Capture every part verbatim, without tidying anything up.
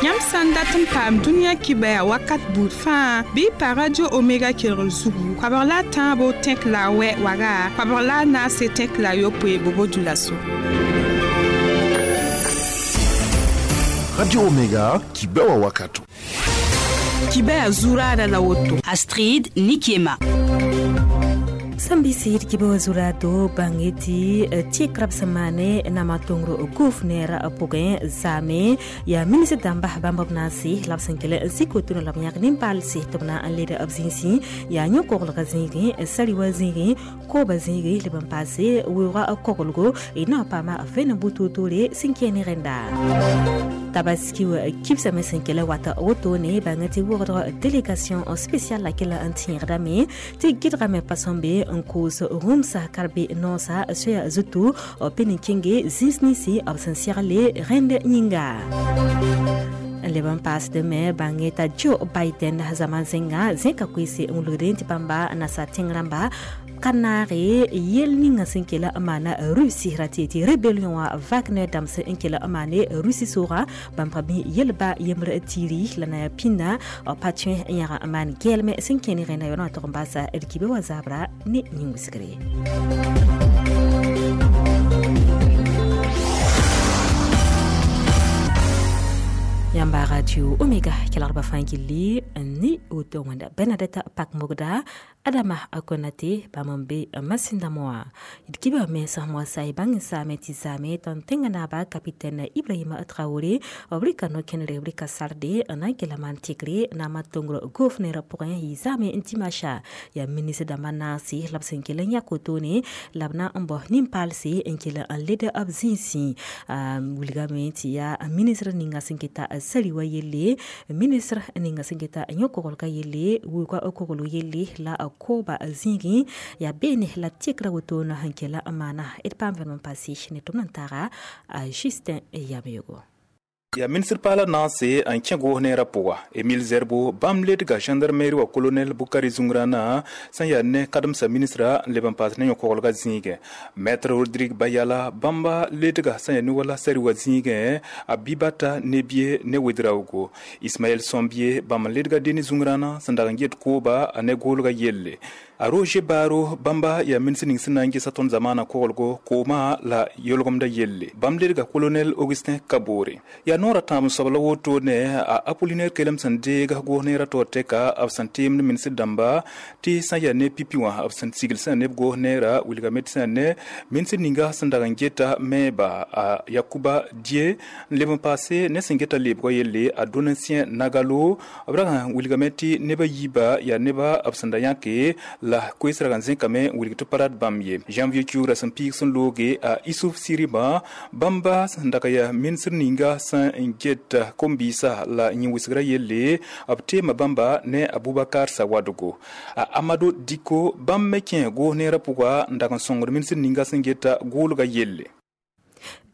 Yãmb sã n dat n paam dũniyã kibaya wakat buud fãa bɩ y pa Radio Omega kelgr zugu koabg la a tãabo tẽk la a wɛ waga koabg la a naase tẽk la a yopoe bobo-dioulasso. Radio Omega kibewa wakato. Kibaya zurada la woto. Astrid Nikiema. Sambisi kibewa zurado bangeti tikrab samane na matongro gouverneur pugin zame ya ministre damba bambab nasi labsankele zikotuna labnyak nimpalsi tobna an leda abzinsi ya nyokogl gazingi sariwa zingi ko bazingi liban passé wura kogolgo ina pama vena bututule sinkeni renda Tabaski kibsa mesenkele wata otone bangeti wordre délégation spéciale laquelle antirdame ti gidrame pasombe nkoos rumsa karbe nosa soya zutu peninkinge zinsnisi absensiale rende nyinga Leban pass de me bangeta Joe Biden zaman zenga zenka kwisi ngulurenti bamba na sa tingramba kanare yel ninga sinkela amana Russie ratiti rébellion wa Wagner damse inkela amane Russie sora bamprabi yelba yemre tiri lana pina patien yara aman gelme sinkeni rena yona tombasa elkibe wa zabra ni nyingusigre. Yamba Radio Omega kelarba fangili ni oto wanda Bernadette Pakmogda Adama Akonate bamambe masinda moa idkiba me sa sai bang sa me tizame ton tengana ba capitaine Ibrahima Traoré obrika no kenre obrika sarde na kelaman tikre na matongro gouverneur pour yizame intimasha ya ministre da manasi labsenkele nyakotone labna mbo nimpalsi enkele an leader of zinsi wulgame ya ministre ninga sinketa saliwa yelle ministre ninga sinketa nyokogolka yelle wuka okogolo yelle la koba zingi ya bene la tikra wotona hankela amana et pam verman passi ne tumnantara Justin Yamego. Ya ministre pala nase an kẽ goosneerã pʋga Emile Zerbo bãmb ledga gendarmerie wa colonel Bukari Zungrana sẽn yaa ne kademsa ministra n leb n paas ne yõ-koglgã zĩigẽ maître Rodrigue Bayala bãmba ledga sẽn yaa ne wala sari wa zĩigẽ a Bibata Nebie ne Wedraogo Ismaël Sombie bãmb n ledga Deni Zungrana sẽn dag n get kooba a ne goolga yelle a Roger Baro bãmba yaa ministre ning sẽn na n gesa tõnd zamaanã koglgo koomã la yolgemda yelle bãmb ledga colonel Augustin Kabore yaa noorã tãab n soabla woto ne a Apollinaire kelem sẽn deeg goos-neerã taoor tɛka b sẽn teemd ministr dãmba tɩ sã yaa ne pipi wã b sẽn sigl sẽn yaa neb goos-neerã wilgame tɩ sẽn yaa ne ministr ninga sẽn dag n geta mɛɛba a Yakuba Die n leb n paase ne sẽn geta leebgã yelle a Donatien Nagalo b rag n wilgame tɩ nebã yiiba yaa neba b sẽn da yãke la koees rag n zẽkame n wilg tɩ pa rat bãmb ye janvier kiuurã sẽn piig sẽn looge a Issouf Siriba bãmba sẽn dag yaa ministr ninga sẽn get kombisa la yĩn-wɩsgrã yelle b teema bãmba ne Abubakar Sawadogo a Amadou Diko bãmb me kẽ goos-neerã pʋga n dag n sõngd ministr ninga sẽn geta goolga yelle.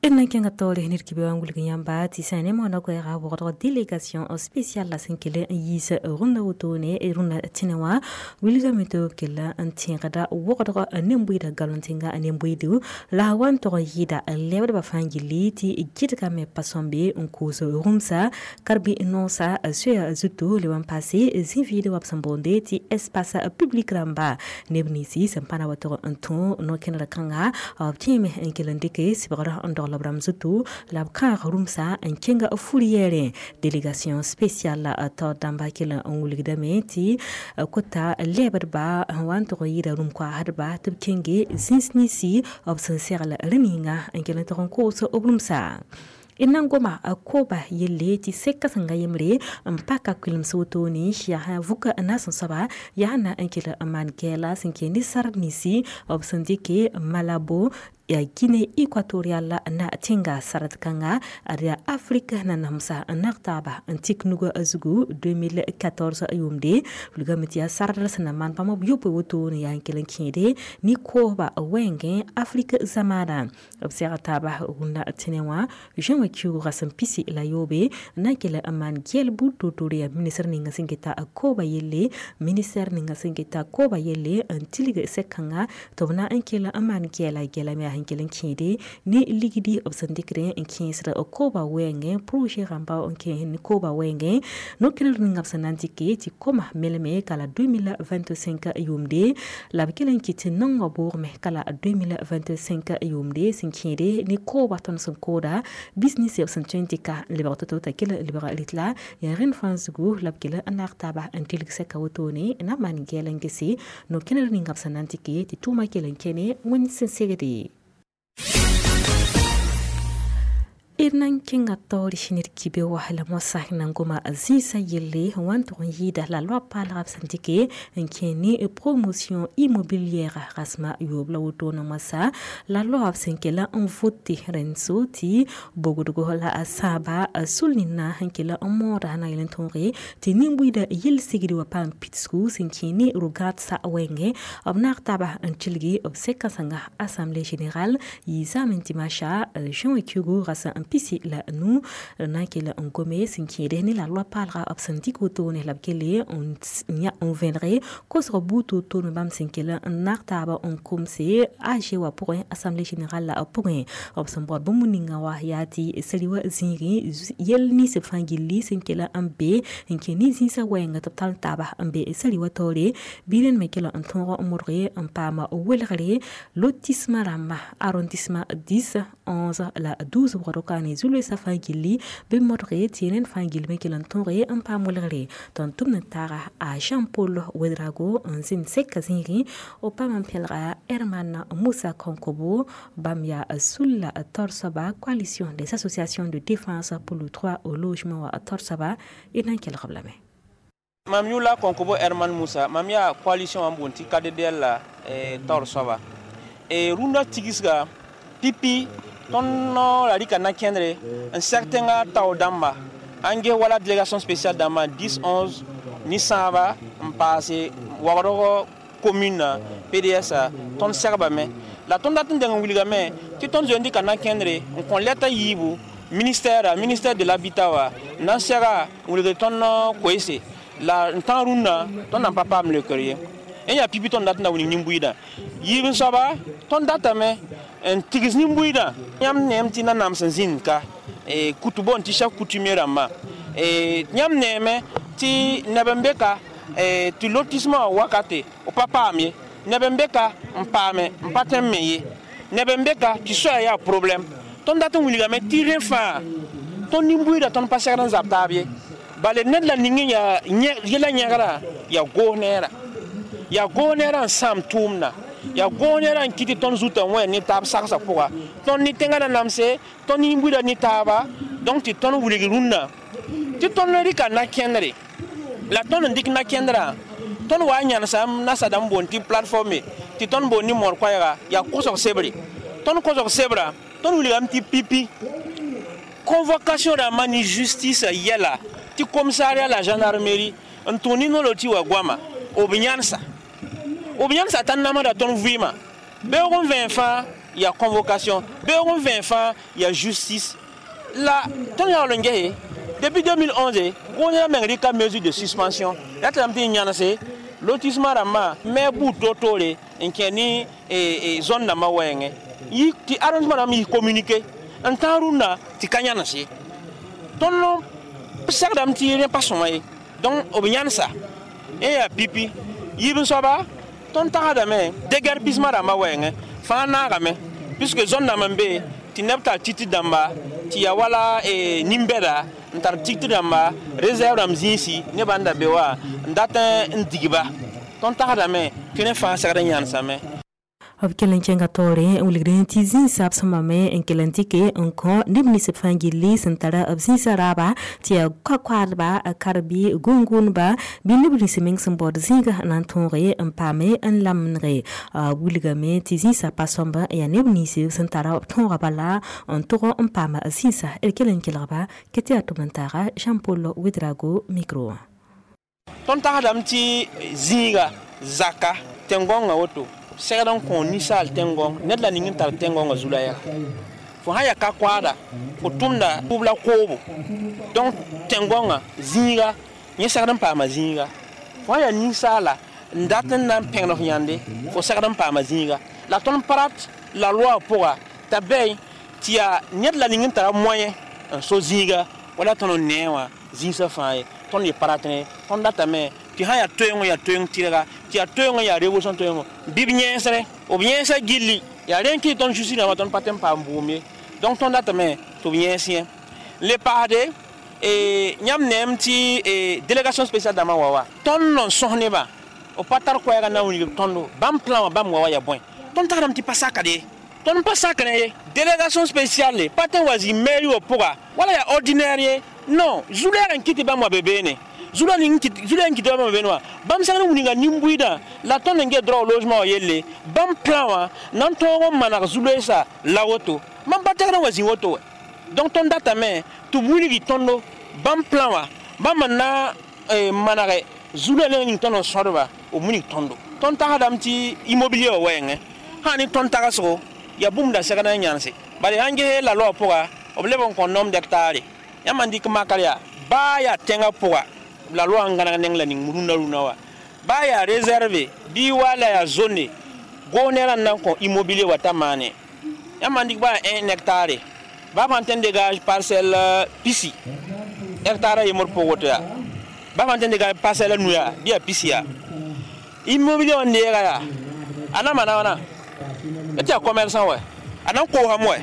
Ina kenga tore nir kibe wangul yamba ti sane mo na ko ra wordre délégation spéciale la senkele yis runda wotone e runda tinewa wilga meto kella antinga wordre nembuida galontinga nembuidu la wan to yida lebda ba fangili ti gidga me pasombe nkuzo rumsa karbi nonsa soya zutu le wan passé zinvide wapsambonde ti espace public ramba nebnisi sampana wato anton no kenra kanga obtime enkelendike sibra ndor labram zutu la kar rumsa en kenga fouriere délégation spéciale to damba kila onguligda meti kota leberba wan to yida rum kwa harba tub kenge zinsnisi obsenserla reninga en kila to konkurso obrumsa inangoma akoba yelle ti seka sanga yemre mpaka kwilm sotoni ya ha vuka nasan saba ya na ankila man kela sinke ni sarnisi obsandike malabo ya Guinée équatoriale na tinga sarat kanga aria Afrika na namsa naktaba antik nuga azugu deux mille quatorze yumde lugamiti ya sarat sana man pamo yopo woto ni ya nkelen kinde ni ko ba wenge Afrika zamana observataba runda tinewa jean kiu rasam pisi la yobe na kele aman gel bu tore ya minister ninga singeta akoba yelle minister ninga singeta koba yelle antiliga sekanga tobna ankela aman gela gela me sẽn kell n kẽede ne ligdi b sẽn dɩkd n kẽesd koobã wɛɛngẽ projet rãmba n kẽes ne koobã wɛɛngẽ no-kẽner ninga b sẽn na n dɩke tɩ koma melme ka la deux mille vingt-cinq yʋʋmde la b kell n kɩt tɩ naongã boogme ka la deux mille vingt-cinq yʋʋmde sẽn kẽede ne koobã tõnd sẽn kooda business b sẽn tõe n dɩka n lebg to-to t'a kell lebg rɩtla yaa rẽnd fãa zugu la b kell n naag taaba n tilg sɛka wotone na maan gɛɛl n gese no-kẽner ninga b sẽn na n dɩke tɩ tʋʋmã kell n kẽne wẽnd sẽn segde. D na n kẽnga taoor ned kibe wa la moasã na n goma zĩisã yelle wã n tʋg n yɩɩda la loa paalga b sẽn dɩke n kẽ ne promotion immobilière rasma yoob la wotone moasã la loa b sẽn kell n vote rẽnd-so tɩ bogdgo la a sãaba sul nina sẽn kell n mooda na yel n tõoge tɩ nin-buiida yel-sigd wa paam pidsgu sẽn kẽ ne rogadsa wɛɛngẽ b naag taaba n tilgi b sɛka-sãnga assemblée générale yɩ zaame dimanche juin kiugu rasa n pisi la nu na kell n gome sẽn kẽede ne la loa paalga b sẽn dɩk wotone la b kelle n vẽnege kosg buud to-to me bãmb sẽn kell n naag taaba n komse A G wã pʋgẽ assemblée générale la pʋgẽ b sẽn baood bũmb ninga wã yaa tɩ sali wa zĩigẽ yɛl nins b fãa gilli sẽn kell n be n kẽ ne zĩisã wɛɛnga tɩ b tall taaba n be sali wa taoore bɩ rẽnd me kell n tõog n modge n paam welgre lotissement rãmba arrondissement dix onze la douze wʋgd ne zu-loeesã fãa gilli bɩ modge tɩ rẽnd fãa gill me kell n tõoge n paam welgre tɩ n tʋmd n taaga a Jean-Paul Ouedraogo n zĩnd sɛka zĩigẽ b paam n pẽlga Herman Moussa Konkobo bãmb yaa Sulla taoor soaba coalition des associations de défense pour le droit au logement wa taoor soaba d na n kelg b lame. Mam yʋla Konkobo Herman Moussa, mam yaa coalition wã n boond tɩ K D D L la taoor soaba. Rũndã tigsga pipi tõnd la rɩka na-kẽndre n sɛg tẽngã tao dãmba n ges wala délégation spéciale dãmbã dix onze ne sãaba n paase wagdg commune P D S tõnd segbame la tõnd dat n deng n wilgame tɩ tõnd zoe n dɩka na-kẽndre n kõ lɛta yiibu ministère ministère de l'habitat wa n na n sɛga n wilgd tõnd koeese la n tã rũndã tõnd na n pa paam leokr ye. N yaa pipi tõnd dat n da wilg nin-buiidã yiib n soaba tõnd datame n tigs nin-buiidã yãmb neem tɩ nanam sẽn zĩnd ka kutu boond tɩ chef coutumier rãmbã yãmb neeme tɩ neb n be ka tɩ lotissement wakate b pa paam ye neb n be ka n paame n pa tõe n me ye neb n be ka tɩ soaya yaa problème tõnd dat n wilgame tɩ rẽ fãa tõnd nin-buiidã tõnd pa segd n zab taab ye bala ned la ning n yaa yɛla yẽgra yaa goos neera yaa goos neerã n sãam tʋʋmda yaa goos neerã n kɩt tɩ tõnd zutã wẽ ne taab sagsã pʋga tõnd ne tẽngã na namse tõnd nin-buiidã ne taaba donc tɩ tõnd wilg rũndã tɩ tõnd rɩka na-kẽndre la tõnd n dɩk na-kẽndrã tõnd wa n yãnesam nasa dãmb boond tɩ plateforme tɩ tõnd boond ne moor koɛɛga yaa kosg sebre tõnd kosg sebra tõnd wilgame tɩ pipi convocation rãmbã ne justice yɛla tɩ commissariat la gendarmerie n tʋg ne nolor tɩ wa goama b yãnesa b yãnesa t'a namsda tõnd vɩɩmã beoog n vẽen fãa yaa convocation beoog n vẽen fãa yaa justice la tõnd yaool n gese depuis deux mille onze gõosã meng rɩka mesure de suspension yaa tɩ lame tɩ n yãnese lotissement rãmbã me buud toor-toore n kẽ ne zone dãmbã wɛɛngẽ tɩ arrondissement rãmb yis communiqué n tãag rũndã tɩ ka yãnes ye tõnd segdame tɩ rẽ pa sõma ye donc b yãnesa n yaa pipi yiib n soaba tõnd tagsdame déguerpissement rãmbã wɛɛngẽ fãa naagame puisque zone dãmb n be tɩ neb tar titi dãmba tɩ yaa wala nin-bɛda n tar tigtr rãmba réserve rãmb zĩisi nebã n da be wa n dat n digba tõnd tagsdame tɩ rẽ fãa segd n yãnesame. B kell n kẽnga taoore n wilgd tɩ zĩisã b sẽn mame n kell n dɩke n kõ neb nins b fãa gilli sẽn tara b zĩisã raaba tɩ yaa ka-koaadba kar-bɩ gũn-gũudba bɩ neb nins meng sẽn baood zĩiga na n tõoge n paame n lamdge wilgame tɩ zĩisã pa sõmb yaa neb nins sẽn tara b tõoga bala n tʋg n paam zĩisã d kell n kelgba kɩ tɩ yaa tʋm n taaga Jean-Paul Ouedraogo micro wã. Tõnd tagsdame tɩ zĩiga zaka tẽn-gõngã woto segd n kõ ninsaal tẽn-gõng ned la ning n tar tẽn-gõngã zu-la yaa fo sã yaa ka-koaada fo tʋmda tʋb la koobo donc tẽn-gõngã zĩiga yẽ segd n paama zĩiga fo sã yaa ninsaala n dat n na n pẽgd f yãnde fo segd n paama zĩiga la tõnd pa rat La loi pʋga t'a bɛy tɩ yaa ned la ning n tara moyen n so zĩiga wala tõnd n nee wã zĩisã fãa ye tõnd ye pa rat ne tõnd datame tɩ sã yaa toeengõ yaa toeeng tɩrga tɩ yaa toeengõ yaa révolution toeengõ bɩ b yẽesre b yẽesã gilli yaa rẽn kɩ tõnd justice rãmbã tõnd pa tɩ n paam bʋʋm ye donc tõnd datame tɩ b yẽes yẽ le paasde yãmb neem tɩ délégation spéciale dãmbã wa wa tõnd n sõs nebã b pa tar koɛɛga na n wilg tõndo bãmb plan wã bãmb wa wa yaa bõe tõnd tagsdame tɩ pa sakd ye tõnd pa sakr ye délégation spéciale pa tõe n wa zĩ mairie wã pʋga wala yaa ordinaire ye non zu-lɛɛg n kɩ tɩ bãmb wa be beene zu-la ning zu-la n kɩ tɩ bãmb wa beene wã bãmb segd n wilga nin-buiidã la tõnd n get droit au logement wã yelle bãmb plan wã na n tõog n maneg zu-loeesa la woto bãmb pa tɛgd n wa zĩ woto wɛ donc tõnd datame tɩ b wilgi tõndo bãmb plan wã bãmb n na manege zu-la neng ning tõnd n sõdba b wilg tõndo tõnd tagsdame tɩ immobilier wã wɛɛngẽ sã ne tõnd tagsgo yaa bũmb da segd n yãnse bala sãn ges la loi pʋga b leb n kõ nombre d'hectare yãmb n dɩk makr yaa baa yaa tẽngã pʋga la loi n gãneg neng la ning rũndã rũndã wã baa yaa réserve bɩ wa la yaa zone goosnera n na n kõ immobilier wa t'a maane yãmb n dɩk baa yaa un hectare baa fãa tõe n dégage parcelle pisi hectare a yembr pʋg woto yaa baa fãa tõe n dégage parcelle a nu yaa bɩ yaa pisi yaa immobilier wã n deega yaa a na maana wãna tɩ yaa commerçant wɛ a na n koosame wɛ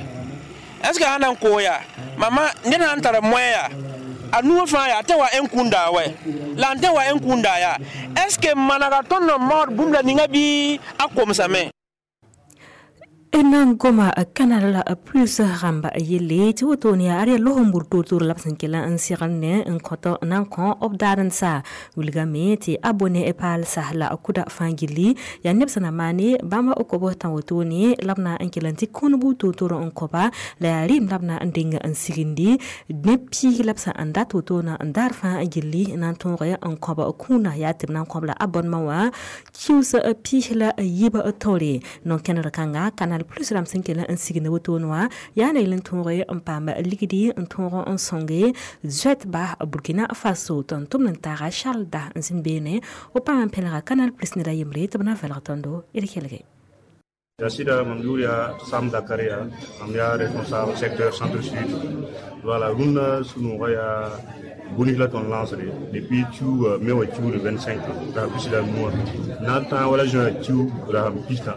est ce que sã na n koos yaa mama ned sã n tara moyen yaa a nuwã fãa yaa a tẽ wa n kũnda wɛ la n tẽ wa n kũnda yaa est ce que manega tõnd n maood bũmb la ninga bɩ a komsame n goma Canal Plus rãmba yelle tɩ wotone yaa ad yaa los-n-bur toor-toor la b sẽn kell n segl ne n kõt na n kõ b daar n sa wilgame tɩ abonné paalsa la kʋda fãa gilli yaa neb sẽn na maane bãmb kob tã wotone la b na n kell n tɩ kũnbu toor-toor n kõba la yaa rɩɩm la b na n deng n sigindi neb piig la b sẽn n dat wotona n daar fãa gilli na n tõog n kõb kũuna yaa tɩ b na n kõb la abonnement wã kius piis la yiib taoore non-kẽndr kãnga Canal Plus rãmb sẽn kell n sigd wotone wã yaa na yel n tõog n paam ligdi n tõog n sõnge zoɛtba Burkina Faso tɩ n tʋmd n taaga Charles da n zĩnd beene b paam n pẽlga Canal Plus ned a yembre tɩ b na vɛlg tõndo d kelge. Sida mam yʋʋr yaa Sam Zakaria, mam yaa responsable secteur centre-sud. Voilà, rũndã sũ-noogã yaa bũni la tõnd lansde depuis kiuuga me wa kiuugd vingt-cinq rasam pisi la nuwã na n tãag wala juin kiuug rasam pistã.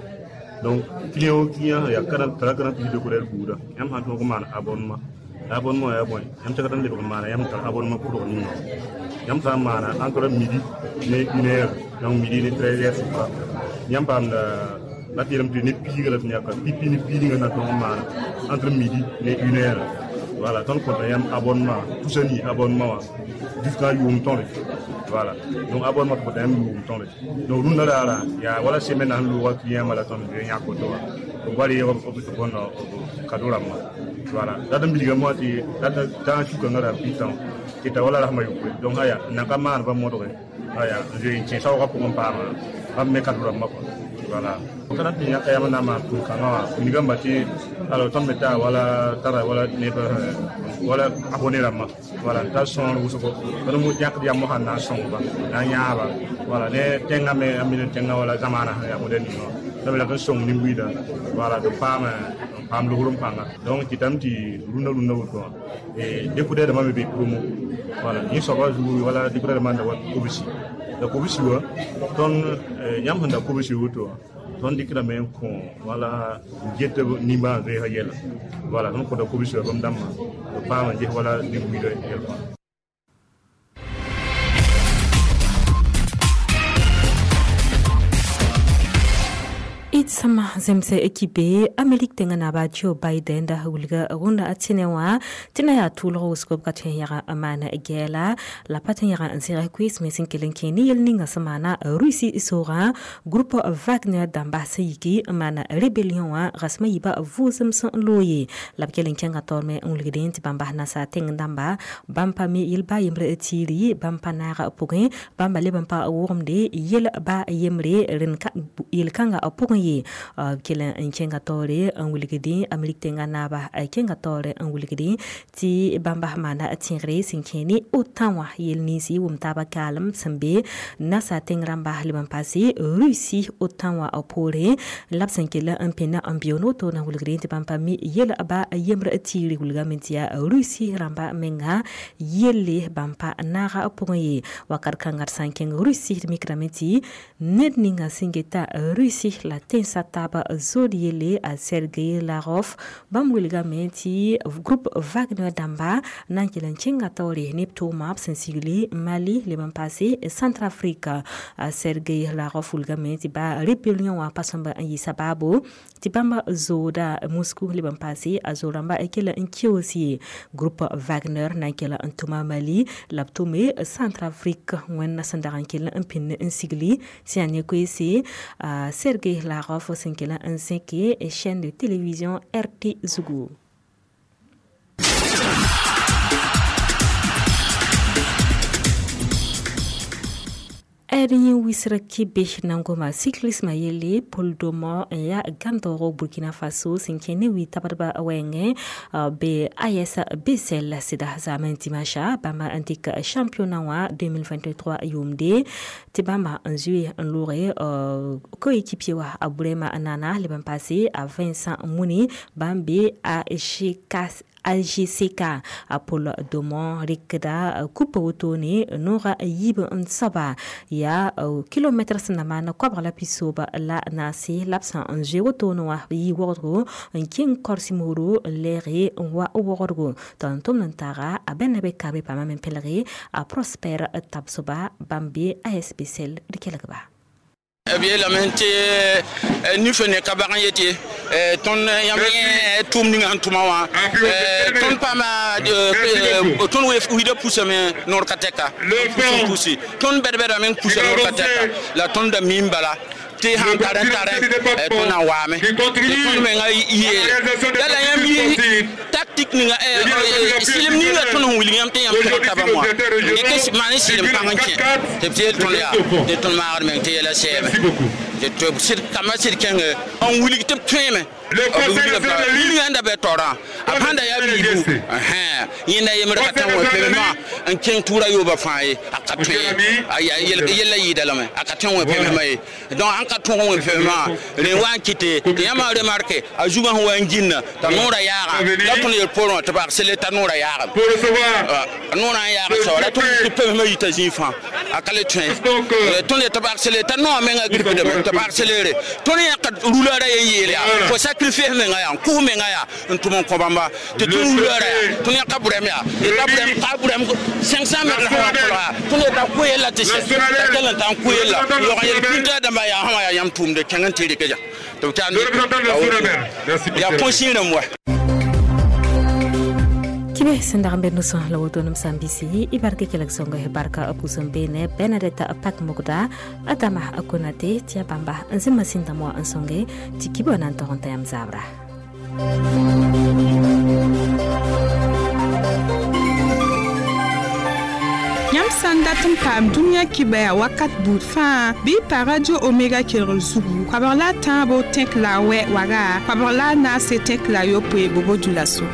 Donc client o client yaa tara Canal Plus décodeur buuda yãmb sãn tõog n maan abonnement abonnement yaa bõe yãmb tẽgd n lebg n maana yãmb tar abonnement pʋdg ninga yãmb sã n maana entre midi ne une heure donc midi ne treize heures sʋka yãmb paamda la tɩ yeelame tɩ ne piiga la tɩ yãka pipi ne piidngã na tõog n maana entre midi ne une heure. Voilà, tõnd kõta yãmb abonnement tusa nii abonnement wã jusqu'à yʋʋm tõre. Voilà, donc abonnement tɩ kõta yãmb yʋʋm tõre. Donc rũndã raara yaa wala semaine sẽn loogã client la tõnd zoe yãk woto wã b wa reeg b bõnd kado rãmbã. Voilà, dat n bilgame wã tɩ dat tãag sukãngã ra pitã tɩ ta wala rasmã yopoe. Donc aya n nan ka maan pa modge aya n zoe n kẽ saoogã pʋgẽ n paama bãmb me kado rãmbã kɔa. Voilà, tõnd tɩ yãka yãmb na n maan tʋʋm-kãngã wã wilgame tɩ alors tõnd me taa wala tara wala neb wala abonné rãmbã. Voilà, n tar sõor wʋsgo tõnd yãkd yam sãn na n sõngba na n yãaba. Voilà, ne tẽngã me a mil tẽngã wala zamaana sẽn yaa modèle ninga wã la me lak n sõng nin-buiidã. Voilà, tɩ paam n paam logr n pãnga. Donc kɩtame tɩ rũndã rũndã woto wã décodeur dãmbã me be promo. Voilà, yẽ soabã zugu wala décodeur dãmbã n da wa kobsi la kobsi wã tõnd yãmb sẽn da kobsi woto wã tõnd dɩkdame n kõ wala get nimbãan-zoeesã yɛla. Voilà, tõnd kõta kobsi wã bãmb dãmbã b paam n ges wala nin-buiidã yɛl fãa. D sõma zemse kibe Amerik tẽngã naaba Joe Biden da wilga rũndã a tẽne wã tɩ na yaa tʋʋlg wʋsgo b ka tõe n yaga n maana gɛɛla la pa tõe n yaga n zẽgs koees me sẽn kell n kẽ ne yel ninga sẽn maana Russie soogã groupe Wagner dãmba sẽn yiki n maana rébellion wã rasmã yiiba vʋʋsem sẽn looye la b kell n kẽnga taoor me n wilgdẽ tɩ bãmb bas nasaar tẽng dãmba bãmb pa me yel-ba yembre tiiri bãmb pa naaga pʋgẽ bãmba leb n pa wʋgemde yel-ba yembre yel-kãngã pʋgẽ ye B kell n kẽnga taoore n wilgdẽ Amerik tẽngã naaba kẽnga taoore n wilgdẽ tɩ bãmba maana tẽegre sẽn kẽ ne OTAN wã yel ninsi wʋm taaba kaalem sẽn be nasa tẽng rãmba leb n paase Russie OTAN wã poorẽ la b sẽn kell n pẽna n beoon woto na wilgdẽ tɩ bãmb pa mi yel ba yembr tiiri wilgame tɩ yaa Russie rãmba menga yelle bãmb pa naaga pʋgẽ ye wakat kãnga d sã n kẽng Russie d mikrame tɩ ned ninga sẽn geta Russie la tẽnsã taaba zood yelle a Sergei Lavrov bãmb wilgame tɩ groupe Wagner dãmba na n kell n kẽnga taoore ne b tʋʋma b sẽn sigli Mali leb n paase Centrafrique. Sergei Lavrov wilgame tɩ ba rébellion wã pa sõmba n yɩ sabaabo tɩ bãmba zooda Moscou leb n paase a zo-rãmba kell n keoos ye groupe Wagner na n kell n tʋma Mali la b tʋme Centrafrique wẽnna sẽn dag n kell n pĩnd n sigli sẽn yaa ne koeese Sergei Lavrov sẽn kell n zẽke chaîne de télévision R T zugu. D yẽ wisra kibe na n goma cyclisme yelle Paul Domo n yaa gãndoog Burkina Faso sẽn kẽ ne wi tabdba wɛɛngẽ be A S Bessel sɩda zaamẽ dimanche bãmba n dɩk championnat wã deux mille vingt-trois yʋʋmde tɩ bãmba n zoe n loge coéquipier wã a Burema Nana leb n paase a Vincent Muni bãmb be A G K A G C K a Paul Domon rɩkda kupa wotone noogã yiib n soaba yaa kilomɛtr sẽn na maan koabg la pisooba la naase la b sã n zoe wotone wã yɩ wogdgo n kẽng kɔrs-mooro n lɛɛge n wa wogdgo tɩ n tʋmd n taaga a bɛna be kabe pãmba me pelge a Prosper Tabsoba bãmb be A S B Sel d kelgba. B yeelame tɩ nifã ne ka bag n yetɩ tõnd yãmb yẽ tʋʋm ninga sẽn tʋma wã tõnd paama tõnd wida pusame noor ka tɛka pusi tõnd bɛd-bɛdame n pusa noor ka tɛka la tõnd da miim bala tɩ sãn tar n tare tõnd na n waame tɩ tõnd menga yeele la la yãmb yi tactique ninga sɩlem ninga tõnd sẽn wilg yãmb tɩ yãmb tog tabã wã dɩk maan sɩlem pãng n kẽ tɩ b yeel tõnd yaa tɩ tõnd maagd meng tɩ yɛla sɛɛme tɩ kambã sɩd kẽnge n wilg tɩ b tõeme wilgã n da bɩ taoorã a pãnda yaa biibu yẽnda yembr ka tã wã pemsmã n kẽng tʋʋra yooba fãa ye a ka tõe ye yella yɩɩda lame a ka tõe wẽ pemsmã ye donc ãn ka tõg wẽ pemsmã rẽ wa n kɩte tɩ yãmba remarke a zugã sẽn wa n gĩnna t'a noorã yaaga la tõnd yel poorẽ wã tɩ bag sele t'a noorã yaagame noorã n yaag soaba la tõnd tɩ pemsmã yita zĩig fãa a ka le tõe tõnd yetɩ bag sele t'a noa menga gripdame tɩ bag selere tõnd yãka rula ra yen yeel yaa fo sacrifice menga yaa n kʋs menga yaa n tʋm n kõ bãmba tɩ tõnd rula ra yaa tõnd yãka bʋrɛm yaa yeta bʋrɛm ka bʋrɛm cinq cents mètres sã wã kolga tõnd yeta kʋ yella tɩ sɛ t'a kell n ta n kʋ yella yog n yel pĩnta dãmba yaa sã wã yaa yãmb tʋʋmde kẽng n tɩ rɩk ja tɩ b yaa põsẽ rãmb wa. Kibe sẽn dag n be no-sõs la woto nem sã n bisi y barka kelg sõngo barka pʋʋs n beene Bernadette Pak Mogda Adama Konate tɩ yaa bãmba n zĩ masĩn dãmb wã n sõnge tɩ kibã na n tog n ta yãmb zaabra. Yãmb sã n dat n paam dũniyã kibɛa wakat buud fãa bɩ y pa Radio Omega kelgr zugu koabg la a tãabo tẽk la a wɛ waga koabg la a naase tẽk la a yopoe bobo dulaso.